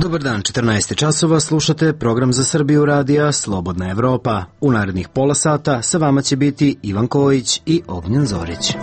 Dobar dan, 14 časova, slušate program za Srbiju radija Slobodna Evropa. U narednih pola sata sa vama će biti Ivan Kojić i Ognjen Zorić.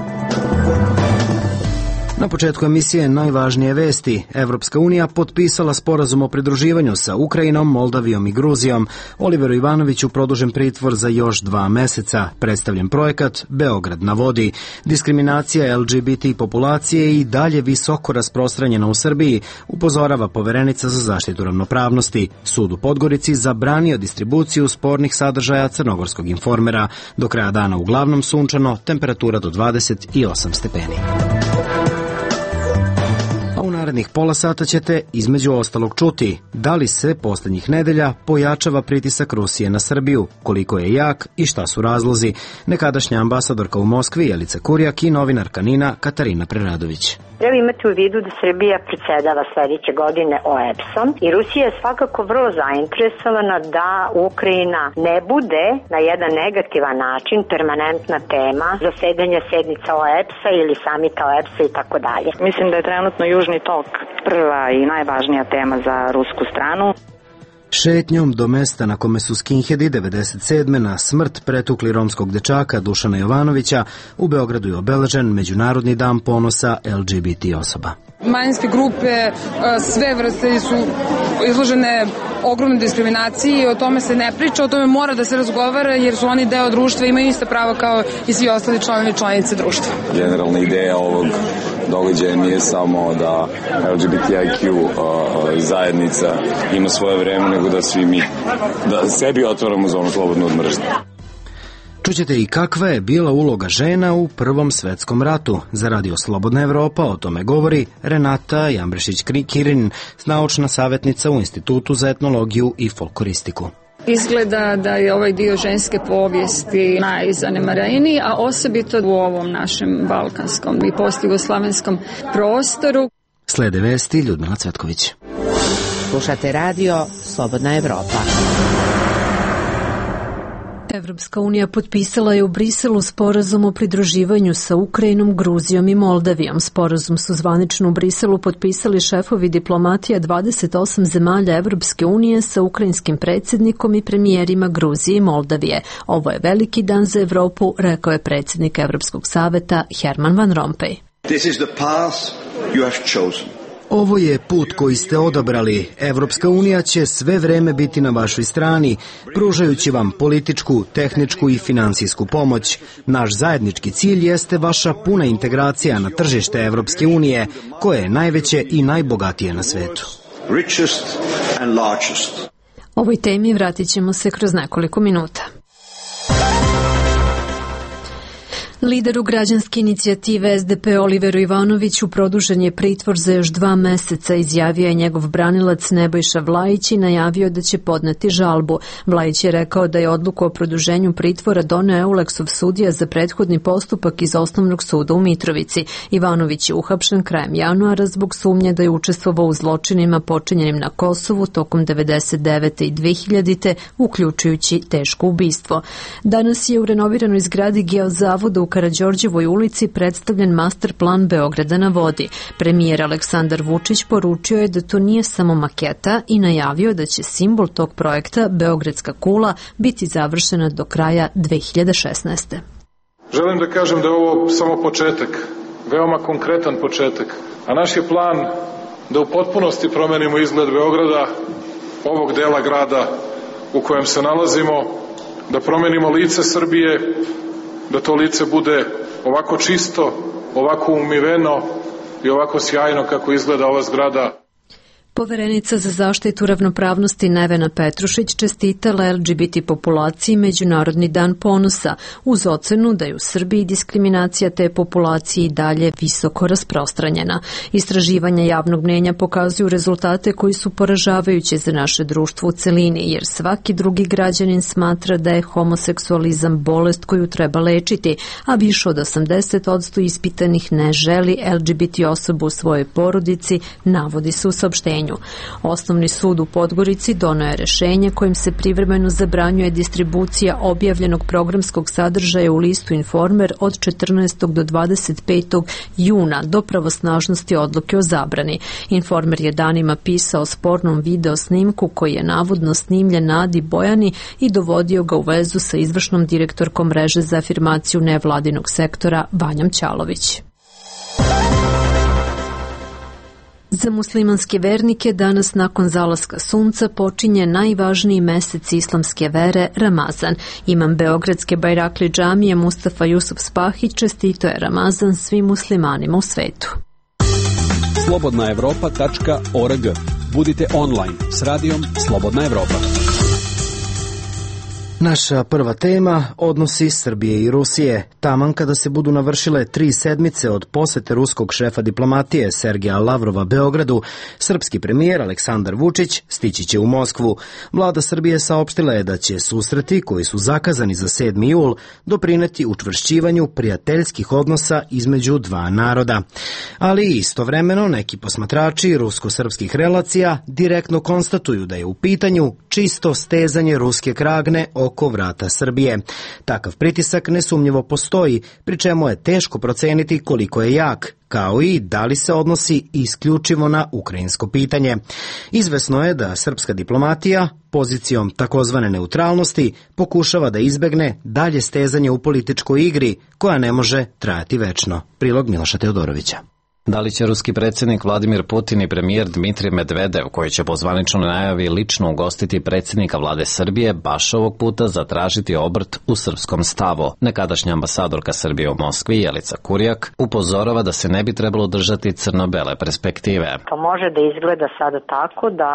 Na početku emisije najvažnije vesti. Evropska unija potpisala sporazum o pridruživanju sa Ukrajinom, Moldavijom i Gruzijom. Oliveru Ivanoviću produžen pritvor za još 2 meseca. Predstavljen projekat Beograd na vodi. Diskriminacija LGBT populacije i dalje visoko rasprostranjena u Srbiji, upozorava poverenica za zaštitu ravnopravnosti. Sud u Podgorici zabranio distribuciju spornih sadržaja Crnogorskog informera. Do kraja dana uglavnom sunčano, temperatura do 28 stepeni. U narednih pola sata ćete između ostalog čuti da li se poslednjih nedelja pojačava pritisak Rusije na Srbiju, koliko je jak i šta su razlozi. Nekadašnja ambasadorka u Moskvi Jelica Kurjak i novinarka NIN-a Katarina Preradović. Treba imati u vidu da Srbija predsjedava sledeće godine OEBS-om i Rusija je svakako vrlo zainteresovana da Ukrajina ne bude na jedan negativan način permanentna tema zasedanja sednica OEBS-a ili samita OEBS-a i tako dalje. Mislim da je trenutno Južni tok prva i najvažnija tema za rusku stranu. Šetnjom do mesta na kome su skinheadi 97. na smrt pretukli romskog dečaka Dušana Jovanovića, u Beogradu je obeležen Međunarodni dan ponosa LGBT osoba. Manjinske grupe, sve vrste su izložene ogromnoj diskriminaciji, o tome se ne priča, o tome mora da se razgovara jer su oni deo društva, imaju ista prava kao i svi ostali članovi i članice društva. Generalna ideja ovog događaja nije samo da LGBTIQ zajednica ima svoje vreme, nego da svi mi, da sebi otvaramo zonu slobodno od mržnje. Čućete i kakva je bila uloga žena u Prvom svetskom ratu. Za Radio Slobodna Evropa o tome govori Renata Jambrešić-Kirin, naučna savjetnica u Institutu za etnologiju i folkloristiku. Izgleda da je ovaj dio ženske povijesti najzanemareniji, a osobito u ovom našem balkanskom i postjugoslavenskom prostoru. Slede vesti Ljudmila Cvetković. Slušate Radio Slobodna Evropa. Evropska unija potpisala je u Briselu sporazum o pridruživanju sa Ukrajinom, Gruzijom i Moldavijom. Sporazum su zvanično u Briselu potpisali šefovi diplomatija 28 zemalja Evropske unije sa ukrajinskim predsjednikom i premijerima Gruzije i Moldavije. Ovo je veliki dan za Evropu, rekao je predsjednik Evropskog saveta Herman Van Rompuy. This is the path you have chosen. Ovo je put koji ste odabrali. Evropska unija će sve vreme biti na vašoj strani, pružajući vam političku, tehničku i finansijsku pomoć. Naš zajednički cilj jeste vaša puna integracija na tržište Evropske unije, koje je najveće i najbogatije na svetu. Richest and largest. Ovoj temi vratit ćemo se kroz nekoliko minuta. Lideru građanske inicijative SDP Oliveru Ivanoviću produžen je pritvor za još 2 meseca, izjavio je njegov branilac Nebojša Vlajić i najavio da će podneti žalbu. Vlajić je rekao da je odluku o produženju pritvora doneo Euleksov sudija za prethodni postupak iz Osnovnog suda u Mitrovici. Ivanović je uhapšen krajem januara zbog sumnje da je učestvovao u zločinima počinjenim na Kosovu tokom 99. i 2000. uključujući teško ubistvo. Danas je u renoviranoj zgradi Geozavoda u Karađorđevoj ulici predstavljen master plan Beograda na vodi. Premijer Aleksandar Vučić poručio je da to nije samo maketa i najavio da će simbol tog projekta, Beogradska kula, biti završena do kraja 2016. Želim da kažem da je ovo samo početak, veoma konkretan početak, a naš je plan da u potpunosti promenimo izgled Beograda, ovog dela grada u kojem se nalazimo, da promenimo lice Srbije, da to lice bude ovako čisto, ovako umiveno i ovako sjajno kako izgleda ova zgrada. Poverenica za zaštitu ravnopravnosti Nevena Petrušić čestitala LGBT populaciji Međunarodni dan ponosa, uz ocenu da je u Srbiji diskriminacija te populacije i dalje visoko rasprostranjena. Istraživanja javnog mnjenja pokazuju rezultate koji su poražavajući za naše društvo u celini, jer svaki drugi građanin smatra da je homoseksualizam bolest koju treba lečiti, a više od 80% ispitanih ne želi LGBT osobu u svojoj porodici, navodi se u saopštenju. rešenju. Osnovni sud u Podgorici doneo je rešenje kojim se privremeno zabranjuje distribucija objavljenog programskog sadržaja u listu Informer od 14. do 25. juna do pravosnažnosti odluke o zabrani. Informer je danima pisao o spornom video snimku koji je navodno snimljen na Adi Bojani i dovodio ga u vezu sa izvršnom direktorkom mreže za afirmaciju nevladinog sektora Vanjom Ćalović. Za muslimanske vernike danas nakon zalaska sunca počinje najvažniji mesec islamske vere Ramazan. Imam Beogradske Bajrakli džamije Mustafa Jusuf Spahić čestito je Ramazan svim muslimanima u svetu. slobodnaevropa.org. Budite online s radijom Slobodna Evropa. Naša prva tema odnosi Srbije i Rusije. Taman kada se budu navršile 3 sedmice od posete ruskog šefa diplomatije Sergeja Lavrova Beogradu, srpski premijer Aleksandar Vučić stići će u Moskvu. Vlada Srbije saopštila je da će susreti koji su zakazani za 7. jul doprineti učvršćivanju prijateljskih odnosa između dva naroda. Ali istovremeno neki posmatrači rusko-srpskih relacija direktno konstatuju da je u pitanju čisto stezanje ruske kragne oko vrata Srbije. Takav pritisak nesumnjivo postoji, pri čemu je teško proceniti koliko je jak, kao i da li se odnosi isključivo na ukrajinsko pitanje. Izvesno je da srpska diplomatija pozicijom takozvane neutralnosti pokušava da izbegne dalje stezanje u političkoj igri koja ne može trajati večno. Prilog Miloša Teodorovića. Da li će ruski predsjednik Vladimir Putin i premijer Dmitrij Medvedev, koji će po zvaničnoj najavi lično ugostiti predsjednika vlade Srbije, baš ovog puta zatražiti obrt u srpskom stavu? Nekadašnja ambasadorka Srbije u Moskvi, Jelica Kurjak, upozorava da se ne bi trebalo držati crno-bele perspektive. To može da izgleda sada tako da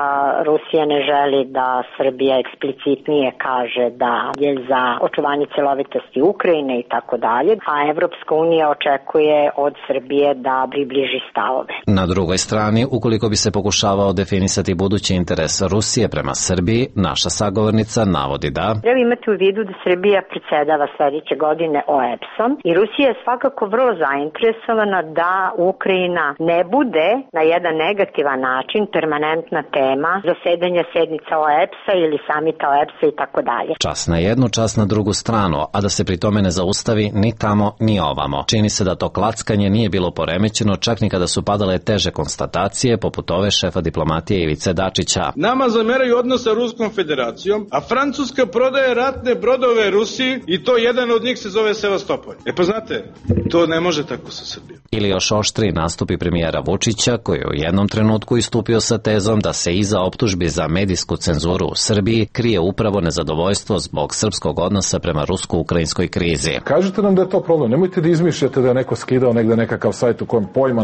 Rusija ne želi da Srbija eksplicitnije kaže da je za očuvanje celovitosti Ukrajine i tako dalje, a Evropska unija očekuje od Srbije da približi stavove. Na drugoj strani, ukoliko bi se pokušavao definisati budući interes Rusije prema Srbiji, naša sagovornica navodi da treba imati u vidu da Srbija predsjedava sledeće godine OEBS-om i Rusija je svakako vrlo zainteresovana da Ukrajina ne bude na jedan negativan način permanentna tema zasedanja sednica OEBS-a ili samita OEBS-a i tako dalje. Čas na jednu, čas na drugu stranu, a da se pri tome ne zaustavi ni tamo ni ovamo. Čini se da to klackanje nije bilo poremećeno čak ni kada su padale teže konstatacije poput ove šefa diplomatije Ivice Dačića. Nama zameraju odnos sa Ruskom federacijom, a Francuska prodaje ratne brodove Rusiji i to jedan od njih se zove Sevastopol. Pa znate, to ne može tako sa Srbijom. Ili još oštri nastupi premijera Vučića, koji je u jednom trenutku istupio sa tezom da se iza optužbi za medijsku cenzuru u Srbiji krije upravo nezadovoljstvo zbog srpskog odnosa prema rusko-ukrajinskoj krizi. Kažite nam da je to problem, nemojte da izmišljate da je neko skidao negde nekakav sajt u kojem pojma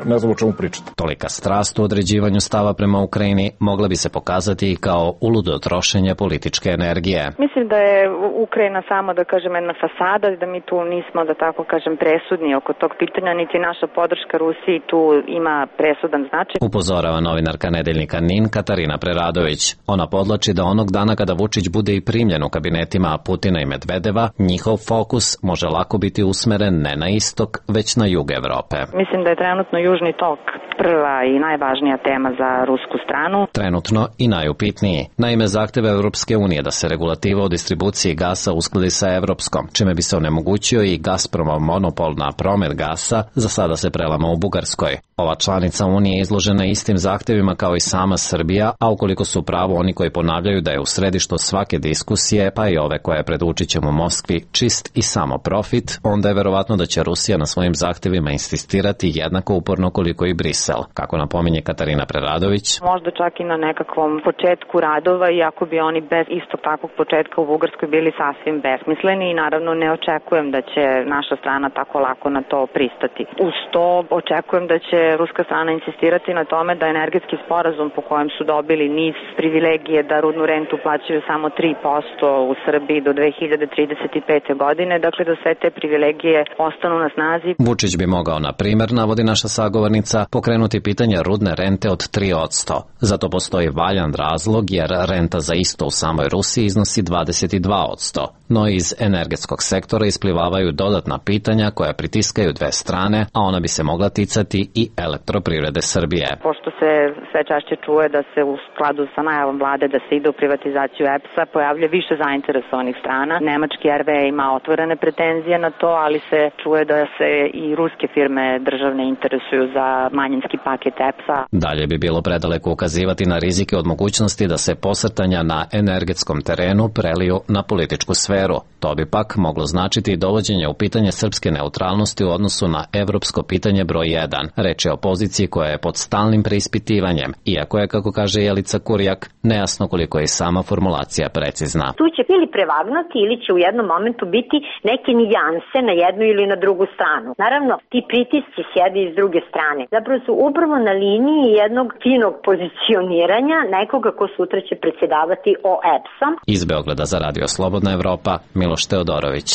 ne znam o čemu pričate. Tolika strast u određivanju stava prema Ukrajini mogla bi se pokazati i kao uludo trošenje političke energije. Mislim da je Ukrajina samo, da kažem, jedna fasada, da mi tu nismo, da tako kažem, presudni oko tog pitanja, niti naša podrška Rusiji tu ima presudan značaj. Upozorava novinarka nedeljnika NIN Katarina Preradović. Ona podlači da onog dana kada Vučić bude i primljen u kabinetima Putina i Medvedeva, njihov fokus može lako biti usmeren ne na istok, već na jug Evrope. Mislim da je trenutno Južni tok prva i najvažnija tema za rusku stranu. Trenutno i najupitniji. Naime, zahteva Evropske unije da se regulativa o distribuciji gasa uskladi sa evropskom, čime bi se onemogućio i Gazpromov monopol na promet gasa, za sada se prelama u Bugarskoj. Ova članica Unije je izložena istim zahtevima kao i sama Srbija, a ukoliko su pravo oni koji ponavljaju da je u središtu svake diskusije, pa i ove koje je pred Vučićem u Moskvi, čist i samo profit, onda je verovatno da će Rusija na svojim zahtevima insistirati jednako uporno koliko i Brisel, kako napominje Katarina Preradović. Možda čak i na nekakvom početku radova, iako bi oni bez istog takvog početka u Bugarskoj bili sasvim besmisleni i naravno ne očekujem da će naša strana tako lako na to pristati. Uz to očekujem da će ruska strana insistirati na tome da energetski sporazum po kojem su dobili niz privilegije da rudnu rentu plaćaju samo 3% u Srbiji do 2035. godine, dakle da sve te privilegije ostanu na snazi. Vučić bi mogao, na primer, navodi naša sagovornica, pokrenuti pitanje rudne rente od 3%. Zato postoji valjan razlog jer renta za isto u samoj Rusiji iznosi 22%. no iz energetskog sektora isplivavaju dodatna pitanja koja pritiskaju dve strane, a ona bi se mogla ticati i Elektroprivrede Srbije. Pošto se sve češće čuje da se u skladu sa najavom vlade da se ide u privatizaciju EPS-a, pojavlja više zainteresovanih strana. Nemački RWE ima otvorene pretenzije na to, ali se čuje da se i ruske firme državne interesuju za manjinski paket EPS-a. Dalje bi bilo predaleko ukazivati na rizike od mogućnosti da se posrtanja na energetskom terenu preliju na političku sferu. To bi pak moglo značiti dovođenje u pitanje srpske neutralnosti u odnosu na evropsko pitanje broj 1. Reč je o poziciji koja je pod stalnim preispitivanjem, iako je, kako kaže Jelica Kurjak, nejasno koliko je sama formulacija precizna. Tu će ili prevagnuti ili će u jednom momentu biti neke nijanse na jednu ili na drugu stranu. Naravno, ti pritisci sjede iz druge strane. Zapravo su upravo na liniji jednog finog pozicioniranja nekoga ko sutra će predsjedavati OEBS-om. Iz Beograda za Radio Slobodna Evropa, Miloš Teodorović.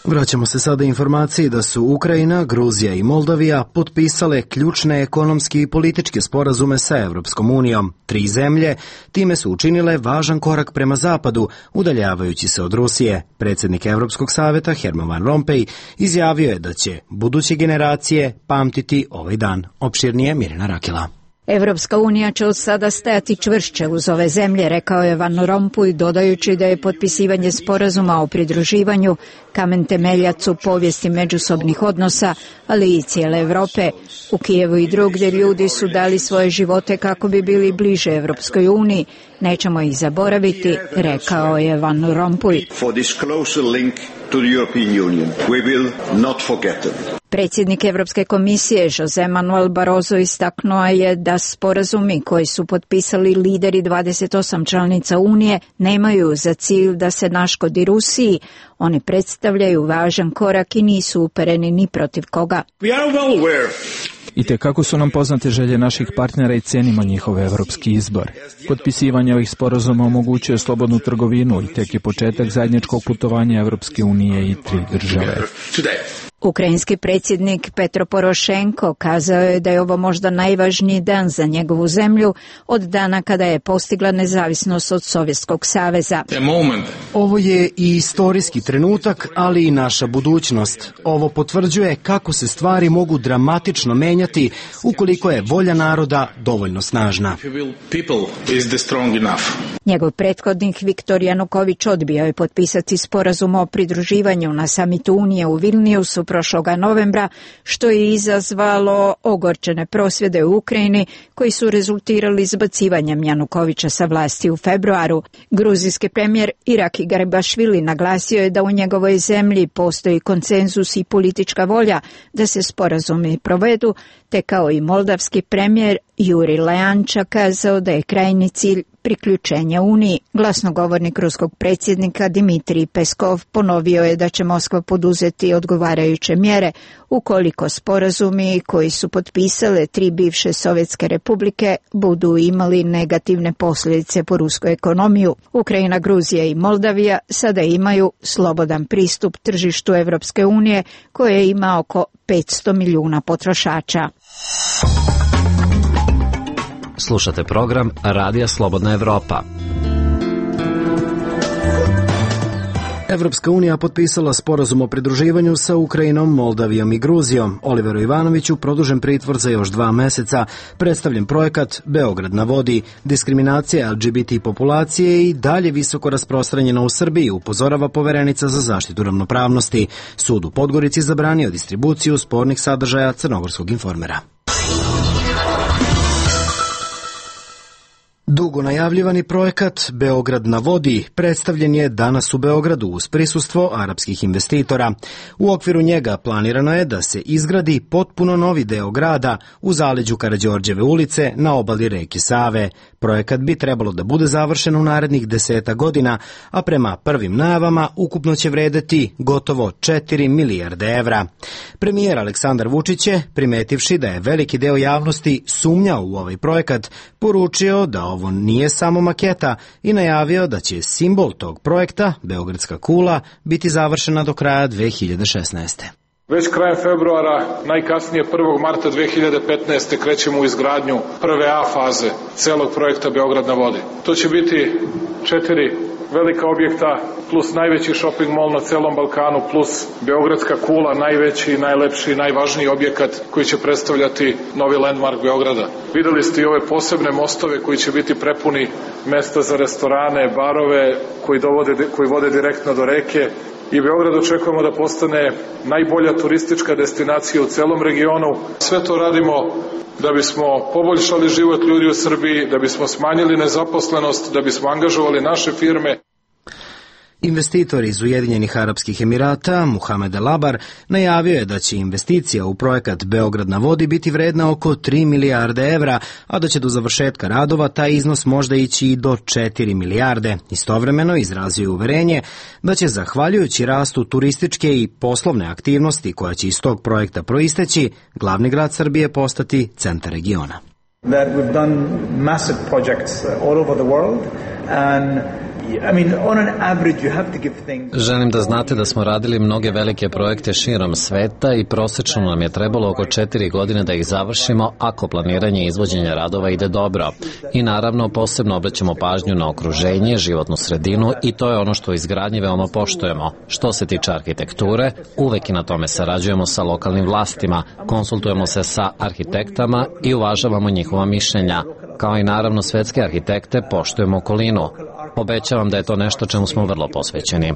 Vraćamo se sada informaciji da su Ukrajina, Gruzija i Moldavija potpisale ključne ekonomski i političke sporazume sa Evropskom unijom. 3 zemlje time su učinile važan korak prema zapadu, udaljavajući se od Rusije. Predsjednik Evropskog saveta Herman Van Rompuy izjavio je da će buduće generacije pamtiti ovaj dan. Opširnije Mirjana Rakela. Evropska unija će od sada stajati čvršće uz ove zemlje, rekao je Van Rompuy, dodajući da je potpisivanje sporazuma o pridruživanju kamen temeljac u povijesti međusobnih odnosa, ali i cijele Evrope. U Kijevu i drugdje ljudi su dali svoje živote kako bi bili bliže Evropskoj uniji. Nećemo ih zaboraviti, rekao je Van Rompuy. Predsjednik Evropske komisije José Manuel Barroso istaknuo je da sporazumi koji su potpisali lideri 28 članica Unije nemaju za cilj da se naškodi Rusiji. Oni predstavljaju važan korak i nisu upereni ni protiv koga. I te kako su nam poznate želje naših partnera i cenimo njihov evropski izbor. Potpisivanje ovih sporazuma omogućuje slobodnu trgovinu i tek je početak zajedničkog putovanja Evropske unije i 3 države. Ukrajinski predsjednik Petro Porošenko kazao je da je ovo možda najvažniji dan za njegovu zemlju od dana kada je postigla nezavisnost od Sovjetskog saveza. Ovo je i istorijski trenutak, ali i naša budućnost. Ovo potvrđuje kako se stvari mogu dramatično menjati ukoliko je volja naroda dovoljno snažna. Njegov prethodnik Viktor Januković odbio je potpisati sporazum o pridruživanju na samitu Unije u Vilniusu prošloga novembra, što je izazvalo ogorčene prosvjede u Ukrajini koji su rezultirali izbacivanjem Janukovića sa vlasti u februaru. Gruzijski premijer Iraki Garibašvili naglasio je da u njegovoj zemlji postoji konsenzus i politička volja da se sporazumi provedu, te kao i moldavski premijer Juri Leanča kazao da je krajnji cilj priključenja Uniji. Glasnogovornik ruskog predsjednika Dmitrij Peskov ponovio je da će Moskva poduzeti odgovarajuće mjere ukoliko sporazumi koji su potpisale 3 bivše sovjetske republike budu imali negativne posljedice po rusku ekonomiju. Ukrajina, Gruzija i Moldavija sada imaju slobodan pristup tržištu Evropske unije koje ima oko 500 milijuna potrošača. Slušate program Radija Slobodna Evropa. Evropska unija potpisala sporazum o pridruživanju sa Ukrajinom, Moldavijom i Gruzijom. Oliveru Ivanoviću produžen pritvor za još 2 meseca. Predstavljen projekat Beograd na vodi. Diskriminacija LGBT populacije i dalje visoko rasprostranjena u Srbiji, upozorava poverenica za zaštitu ravnopravnosti. Sud u Podgorici zabranio distribuciju spornih sadržaja Crnogorskog informera. Dugo najavljivani projekat Beograd na vodi predstavljen je danas u Beogradu uz prisustvo arapskih investitora. U okviru njega planirano je da se izgradi potpuno novi deo grada u zaleđu Karađorđeve ulice na obali reke Save. Projekat bi trebalo da bude završen u narednih 10 godina, a prema prvim najavama ukupno će vredeti gotovo 4 milijarde evra. Premijer Aleksandar Vučić je, primetivši da je veliki deo javnosti sumnjao u ovaj projekat, poručio da ovo nije samo maketa i najavio da će simbol tog projekta, Beogradska kula, biti završena do kraja 2016. Već krajem februara, najkasnije 1. marta 2015. krećemo u izgradnju prve A faze celog projekta Beograd na vodi. To će biti 4 velika objekta plus najveći shopping mall na celom Balkanu plus Beogradska kula, najveći, najlepši, najvažniji objekat koji će predstavljati novi landmark Beograda. Videli ste i ove posebne mostove koji će biti prepuni mesta za restorane, barove koji vode direktno do reke. I Beograd očekujemo da postane najbolja turistička destinacija u celom regionu. Sve to radimo da bismo poboljšali život ljudi u Srbiji, da bismo smanjili nezaposlenost, da bismo angažovali naše firme. Investitor iz Ujedinjenih Arapskih Emirata, Muhamed El Abar, najavio je da će investicija u projekat Beograd na vodi biti vredna oko 3 milijarde evra, a da će do završetka radova taj iznos možda ići i do 4 milijarde. Istovremeno izrazio uverenje da će, zahvaljujući rastu turističke i poslovne aktivnosti koja će iz tog projekta proisteći, glavni grad Srbije postati centar regiona. That we've done massive projects all over the world and Želim da znate da smo radili mnoge velike projekte širom sveta i prosečno nam je trebalo oko 4 godine da ih završimo ako planiranje i izvođenje radova ide dobro. I naravno posebno obraćamo pažnju na okruženje, životnu sredinu i to je ono što u izgradnji veoma poštujemo. Što se tiče arhitekture, uvek i na tome sarađujemo sa lokalnim vlastima, konsultujemo se sa arhitektama i uvažavamo njihova mišljenja. Kao i naravno svetske arhitekte, poštujemo okolinu. Obećavam da je to nešto čemu smo vrlo posvećeni.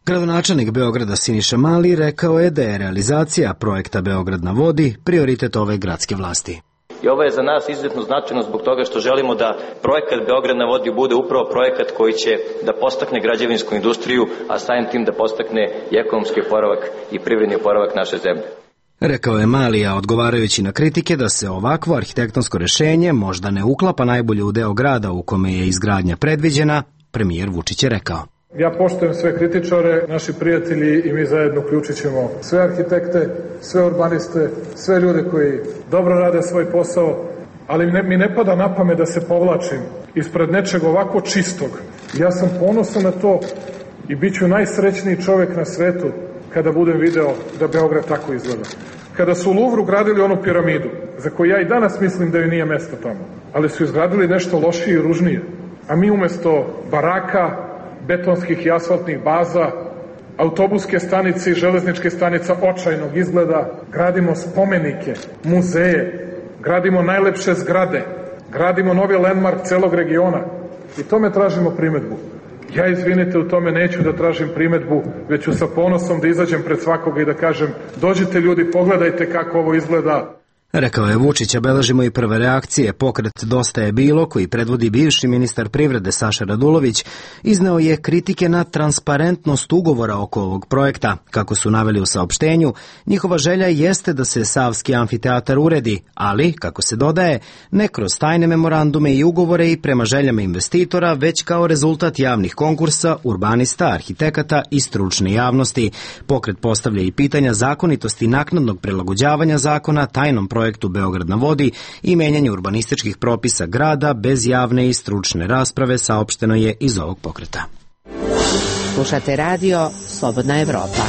Gradonačelnik Beograda Siniša Mali rekao je da je realizacija projekta Beograd na vodi prioritet ove gradske vlasti. I ovo je za nas izuzetno značajno zbog toga što želimo da projekat Beograd na vodi bude upravo projekat koji će da podstakne građevinsku industriju, a samim tim da podstakne i ekonomski oporavak i privredni oporavak naše zemlje. Rekao je Malija, odgovarajući na kritike da se ovakvo arhitektonsko rešenje možda ne uklapa najbolje u deo grada u kome je izgradnja predviđena, premijer Vučić je rekao. Ja poštujem sve kritičare, naši prijatelji i mi zajedno uključit ćemo sve arhitekte, sve urbaniste, sve ljude koji dobro rade svoj posao, ali mi ne pada na pamet da se povlačim ispred nečeg ovako čistog. Ja sam ponosan na to i bit ću najsrećniji čovek na svetu kada budem video da Beograd tako izgleda. Kada su u Luvru gradili onu piramidu, za koju ja i danas mislim da joj nije mesto tamo, ali su izgradili nešto lošije i ružnije, a mi umesto baraka, betonskih i asfaltnih baza, autobuske stanice i železničke stanica očajnog izgleda, gradimo spomenike, muzeje, gradimo najlepše zgrade, gradimo novi landmark celog regiona i tome tražimo primetbu. Ja, izvinite, u tome neću da tražim primetbu, već ću sa ponosom da izađem pred svakoga i da kažem: dođite ljudi, pogledajte kako ovo izgleda. Rekao je Vučić, a beležimo i prve reakcije. Pokret Dosta je bilo, koji predvodi bivši ministar privrede Saša Radulović, izneo je kritike na transparentnost ugovora oko ovog projekta. Kako su naveli u saopštenju, njihova želja jeste da se Savski amfiteatar uredi, ali, kako se dodaje, ne kroz tajne memorandume i ugovore i prema željama investitora, već kao rezultat javnih konkursa, urbanista, arhitekata i stručne javnosti. Pokret postavlja i pitanja zakonitosti naknadnog prilagođavanja zakona tajnom projektu Beograd na vodi i menjanje urbanističkih propisa grada bez javne i stručne rasprave, saopšteno je iz ovog pokreta. Slušate radio Slobodna Evropa.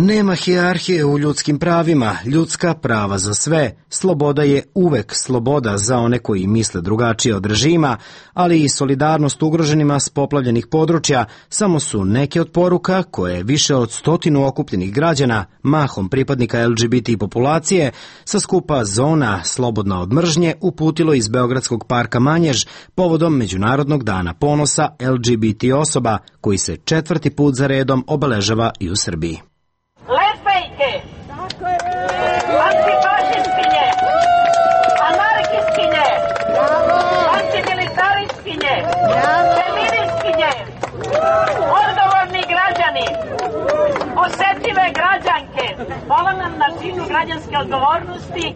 Nema hijerarhije u ljudskim pravima, ljudska prava za sve. Sloboda je uvek sloboda za one koji misle drugačije od režima, ali i solidarnost ugroženima s poplavljenih područja samo su neke od poruka koje više od 100 okupljenih građana, mahom pripadnika LGBT populacije, sa skupa Zona slobodna od mržnje uputilo iz Beogradskog parka Manjež povodom Međunarodnog dana ponosa LGBT osoba, koji se 4. put za redom obeležava i u Srbiji. Lesbejke, antifašistkinje, anarhistkinje, antimilitaristkinje, feministkinje, odgovorni građani, osetljive građanke, hvala nam na činu građanske odgovornosti.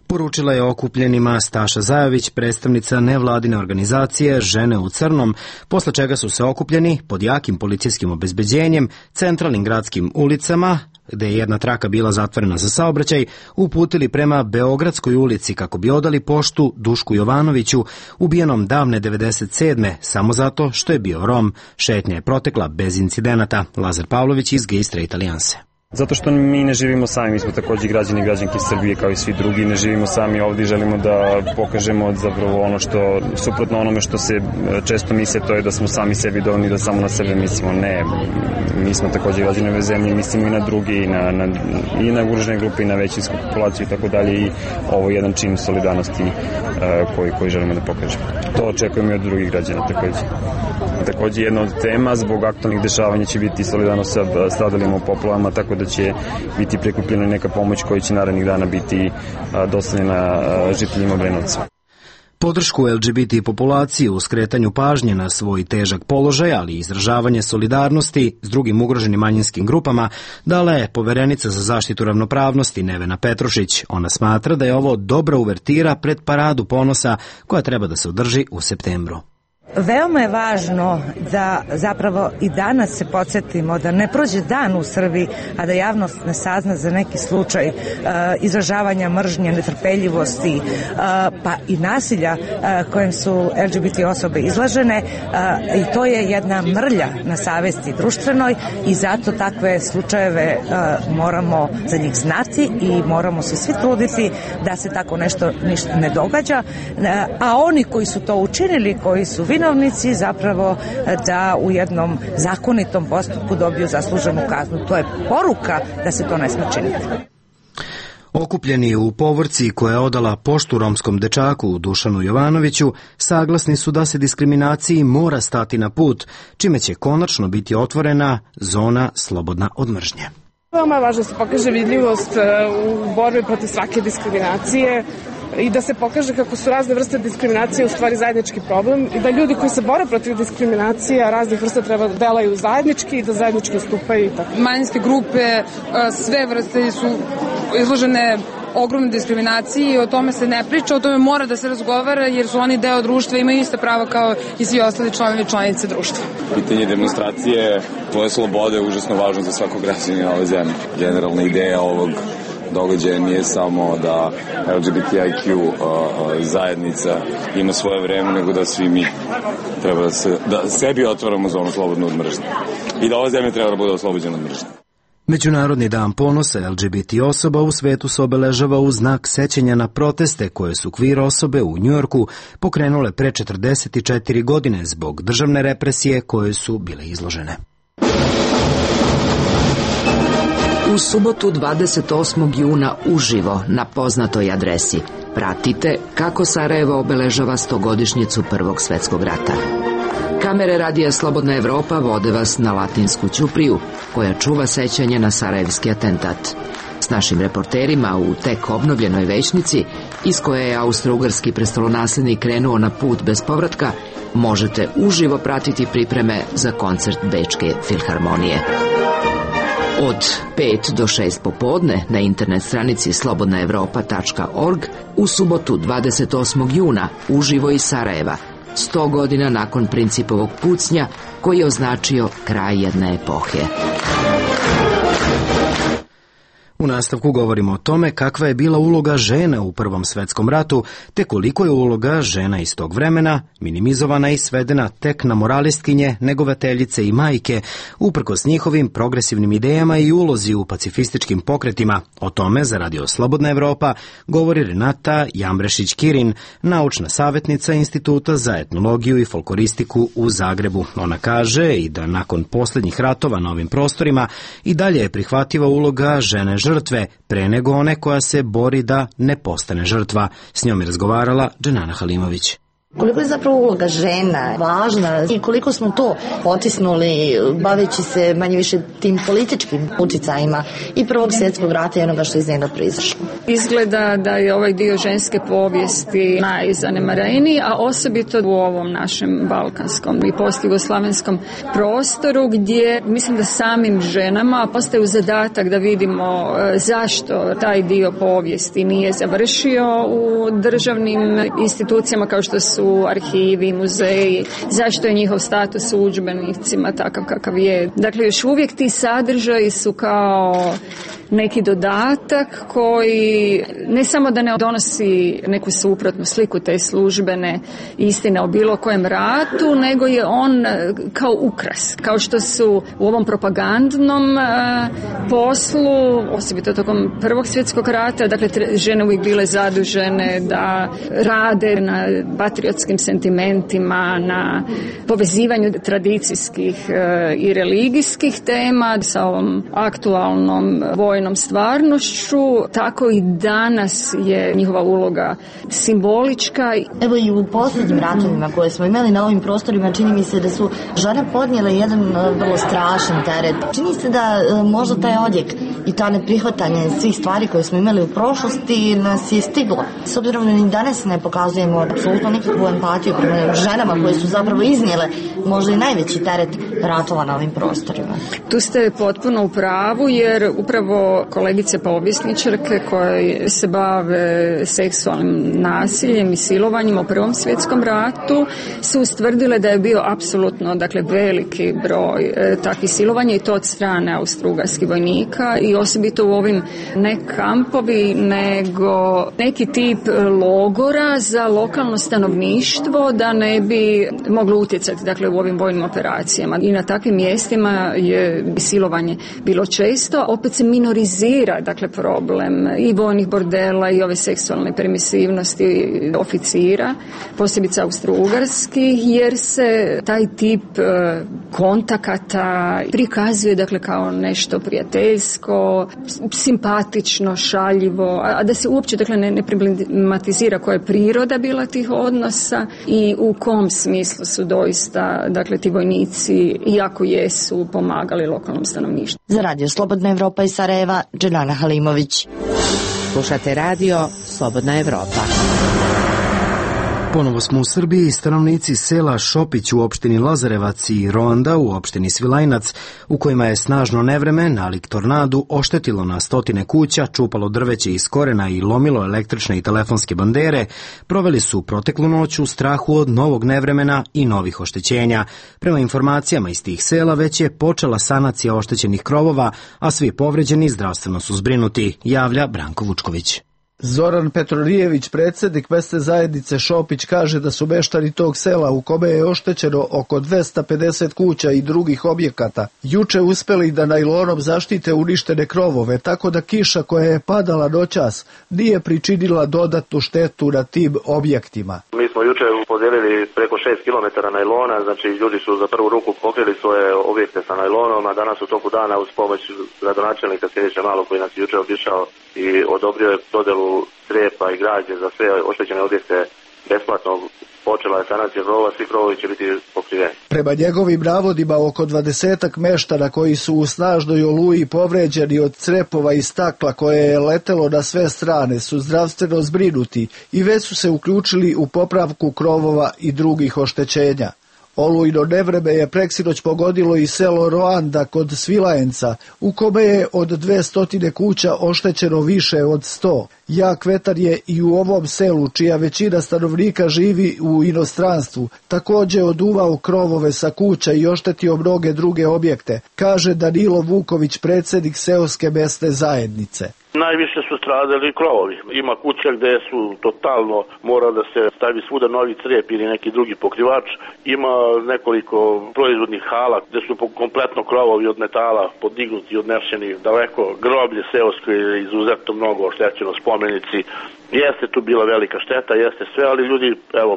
Poručila je okupljenima Staša Zajović, predstavnica nevladine organizacije Žene u crnom, posle čega su se okupljeni pod jakim policijskim obezbeđenjem, centralnim gradskim ulicama, gde je jedna traka bila zatvorena za saobraćaj, uputili prema Beogradskoj ulici kako bi odali poštu Dušku Jovanoviću, ubijenom davne 97. samo zato što je bio Rom. Šetnja je protekla bez incidenata. Lazar Pavlović iz Gay Straight Alijanse. Zato što mi ne živimo sami, mi smo takođe građani i građanke Srbije kao i svi drugi, ne živimo sami ovdje i želimo da pokažemo zapravo ono što, suprotno onome što se često misle, to je da smo sami sebi dovoljni, da samo na sebe mislimo. Ne, mi smo takođe građani ove zemlje, mislimo i na drugi, i na ugrožene grupe, i na većinsku populaciju i tako dalje, i ovo je jedan čin solidarnosti koji želimo da pokažemo. To očekujemo i od drugih građana takođe. Takođe jedna od tema zbog aktualnih dešavanja će biti solidarnost sa stradalima u poplavama, tako da će biti prikupljena neka pomoć koja će narednih dana biti dostavljena žiteljima Obrenovca. Podršku LGBT populaciji u skretanju pažnje na svoj težak položaj, ali i izražavanje solidarnosti s drugim ugroženim manjinskim grupama, dala je poverenica za zaštitu ravnopravnosti Nevena Petrušić. Ona smatra da je ovo dobra uvertira pred Paradu ponosa koja treba da se održi u septembru. Veoma je važno da zapravo i danas se podsjetimo da ne prođe dan u Srbiji, a da javnost ne sazna za neki slučaj izražavanja mržnje, netrpeljivosti, pa i nasilja kojem su LGBT osobe izlažene, i to je jedna mrlja na savesti društvenoj i zato takve slučajeve moramo za njih znati i moramo se svi truditi da se tako nešto ništa ne događa, a oni koji su to učinili, koji su vinovnici, zapravo da u jednom zakonitom postupku dobiju zasluženu kaznu. To je poruka da se to ne sme činiti. Okupljeni u povorci koja je odala poštu romskom dečaku Dušanu Jovanoviću saglasni su da se diskriminaciji mora stati na put, čime će konačno biti otvorena zona slobodna od mržnje. Veoma je važno da se pokaže vidljivost u borbi protiv svake diskriminacije i da se pokaže kako su razne vrste diskriminacije u stvari zajednički problem i da ljudi koji se bore protiv diskriminacije raznih vrsta treba da delaju zajednički i da zajednički stupaju. Manjinske grupe, sve vrste su izložene ogromne diskriminaciji i o tome se ne priča, o tome mora da se razgovara jer su oni deo društva i imaju ista prava kao i svi ostali članovi i članice društva. Pitanje demonstracije, tvoje slobode je užasno važno za svakog građanina ove zemlje. Generalna ideja ovog događaja nije samo da LGBTIQ zajednica ima svoje vreme, nego da svi mi treba da sebi otvaramo zonu slobodnu od mržnje i da ova zemlja treba da bude oslobođena od mržnje. Međunarodni dan ponosa LGBT osoba u svetu se obeležava u znak sećanja na proteste koje su queer osobe u Njujorku pokrenule pre 44 godine zbog državne represije koje su bile izložene. U subotu 28. juna uživo na poznatoj adresi pratite kako Sarajevo obeležava 100-godišnjicu Prvog svetskog rata. Kamere radija Slobodna Evropa vode vas na Latinsku ćupriju, koja čuva sećanje na sarajevski atentat. S našim reporterima u tek obnovljenoj većnici, iz koje je austro-ugarski prestolonaslednik krenuo na put bez povratka, možete uživo pratiti pripreme za koncert Bečke filharmonije. Od 5 do 6 popodne na internet stranici slobodnaevropa.org u subotu 28. juna uživo iz Sarajeva, 100 godina nakon Principovog pucnja koji je označio kraj jedne epohe. U nastavku govorimo o tome kakva je bila uloga žena u Prvom svetskom ratu, te koliko je uloga žena iz tog vremena minimizovana i svedena tek na moralistkinje, negovateljice i majke, uprkos njihovim progresivnim idejama i ulozi u pacifističkim pokretima. O tome za Radio Slobodna Evropa govori Renata Jambrešić-Kirin, naučna savjetnica Instituta za etnologiju i folkloristiku u Zagrebu. Ona kaže i da nakon posljednjih ratova na ovim prostorima i dalje je prihvativa uloga žene žrtve, pre nego one koja se bori da ne postane žrtva. S njom je razgovarala Dženana Halimović. Koliko je zapravo uloga žena važna i koliko smo to potisnuli baveći se manje više tim političkim uticajima i Prvog svjetskog rata i onoga što iz njega proizašlo. Izgleda da je ovaj dio ženske povijesti najzanemareniji, a osobito u ovom našem balkanskom i postjugoslavenskom prostoru gdje mislim da samim ženama postaje zadatak da vidimo zašto taj dio povijesti nije završio u državnim institucijama kao što su su arhivi, muzeji, zašto je njihov status u udžbenicima takav kakav je. Dakle, još uvijek ti sadržaji su kao neki dodatak koji ne samo da ne donosi neku suprotnu sliku te službene istine o bilo kojem ratu, nego je on kao ukras. Kao što su u ovom propagandnom poslu, osobito tokom Prvog svjetskog rata, dakle žene uvijek bile zadužene da rade na patriotskim sentimentima, na povezivanju tradicijskih i religijskih tema sa ovom aktualnom vojnom stvarnošću, tako i danas je njihova uloga simbolička. Evo i u posljednjim ratovima koje smo imali na ovim prostorima, čini mi se da su žene podnijele jedan vrlo strašan teret. Čini se da možda taj odjek i ta neprihvatanje svih stvari koje smo imali u prošlosti nas je stiglo. S obzirom da ni danas ne pokazujemo apsolutno nikakvu empatiju prema ženama koje su zapravo iznijele možda i najveći teret ratova na ovim prostorima. Tu ste potpuno u pravu, jer upravo kolegice povjesničarke koje se bave seksualnim nasiljem i silovanjem u Prvom svjetskom ratu su ustvrdile da je bio apsolutno, dakle, veliki broj takvih silovanja, i to od strane austrougarskih vojnika, i osobito u ovim ne kampovi, nego neki tip logora za lokalno stanovništvo da ne bi moglo utjecati, dakle, u ovim vojnim operacijama. I na takvim mjestima je silovanje bilo često. Opet se minorizira, dakle, problem i vojnih bordela i ove seksualne permisivnosti oficira, posebice austrougarskih, jer se taj tip kontakata prikazuje, dakle, kao nešto prijateljsko, simpatično, šaljivo, a da se uopće, dakle, ne problematizira koja je priroda bila tih odnosa i u kom smislu su doista, dakle, ti vojnici, iako jesu, pomagali lokalnom stanovništvu. Za Radio Slobodna Evropa iz Sarajeva, Dženana Halimović. Slušate radio Slobodna Evropa. Ponovo smo u Srbiji. Stanovnici sela Šopić u opštini Lazarevac i Ronda u opštini Svilajnac, u kojima je snažno nevreme nalik tornadu oštetilo na stotine kuća, čupalo drveće iz korena i lomilo električne i telefonske bandere, proveli su proteklu noć u strahu od novog nevremena i novih oštećenja. Prema informacijama iz tih sela već je počela sanacija oštećenih krovova, a svi povređeni zdravstveno su zbrinuti, javlja Branko Vučković. Zoran Petronijević, predsjednik mesne zajednice Šopić, kaže da su meštani tog sela, u kome je oštećeno oko 250 kuća i drugih objekata, juče uspeli da najlonom zaštite uništene krovove, tako da kiša koja je padala noćas nije pričinila dodatnu štetu na tim objektima. Mi smo juče podijelili preko 6 km najlona, znači ljudi su za prvu ruku pokrili svoje objekte sa najlonom, a danas u toku dana uz pomoć gradonačelnika Siniše Malog, koji nas juče obišao i odobrio je dodelu crijepa i građe za sve oštećene objekte besplatno, počela je sanacija krovova, svi krovovi će biti pokriveni. Prema njegovim navodima, oko 20 meštana koji su u snažnoj oluji povređeni od crepova i stakla koje je letelo na sve strane su zdravstveno zbrinuti i već su se uključili u popravku krovova i drugih oštećenja. Olujno nevreme je preksinoć pogodilo i selo Roanda kod Svilajenca, u kome je od 200 kuća oštećeno više od 100. Jak vetar je i u ovom selu, čija većina stanovnika živi u inostranstvu, također oduvao krovove sa kuća i oštetio mnoge druge objekte, kaže Danilo Vuković, predsjednik seoske mesne zajednice. Najviše su stradali krovovi. Ima kuća gde su totalno mora da se stavi svuda novi crijep ili neki drugi pokrivač. Ima nekoliko proizvodnih hala gde su kompletno krovovi od metala podignuti, odnešeni daleko. Groblje seosko je izuzetno mnogo oštećeno, spomenici. Jeste tu bila velika šteta, jeste sve, ali ljudi, evo,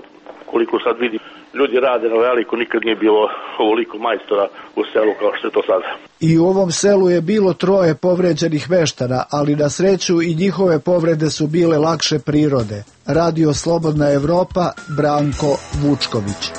koliko sad vidim, ljudi rade na veliko, nikad nije bilo ovoliko majstora u selu kao što je to sada. I u ovom selu je bilo 3 povređenih meštana, ali na sreću i njihove povrede su bile lakše prirode. Radio Slobodna Evropa, Branko Vučković.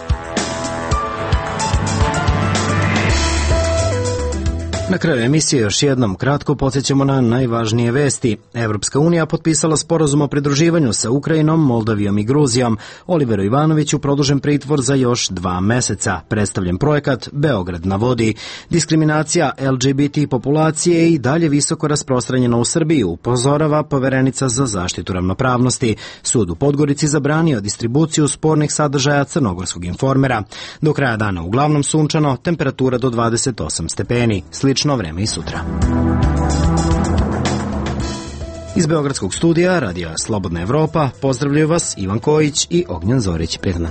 Na kraju emisije još jednom kratko podsjećamo na najvažnije vesti. Evropska unija potpisala sporazum o pridruživanju sa Ukrajinom, Moldavijom i Gruzijom. Oliveru Ivanoviću produžen pritvor za još 2 meseca. Predstavljen projekat Beograd na vodi. Diskriminacija LGBT populacije je i dalje visoko rasprostranjena u Srbiji, upozorava poverenica za zaštitu ravnopravnosti. Sud u Podgorici zabranio distribuciju spornih sadržaja Crnogorskog informera. Do kraja dana uglavnom sunčano, temperatura do 28 stepeni. Slično vreme i sutra. Iz Beogradskog studija Radija Slobodna Evropa pozdravljaju vas Ivan Kojić i Ognjen Zorić. Prijatno.